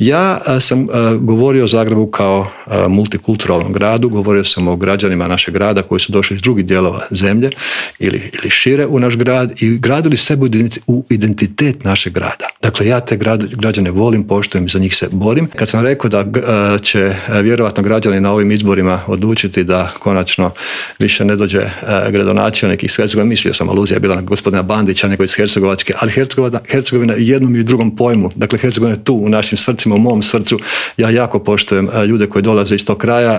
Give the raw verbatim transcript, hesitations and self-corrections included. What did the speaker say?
Ja a, sam a, govorio o Zagrebu kao a, multikulturalnom gradu, govorio sam o građanima našeg grada koji su došli iz drugih dijelova zemlje ili, ili šire u naš grad i gradili sebe u identitet našeg grada. Dakle, ja te grad, građane volim, poštujem i za njih se borim. Kad sam rekao da a, će a, vjerovatno građani na ovim izborima odlučiti da konačno više ne dođe a, gradonačelnik iz Hercegovine, mislio sam, aluzija je bila na gospodina Bandića, nego iz Hercegovačke, ali Hercegovina, Hercegovina je jednom i drugom pojmu. Dakle, Hercegovina je tu u našim srcima, u mom srcu. Ja jako poštujem ljude koji dolaze iz tog kraja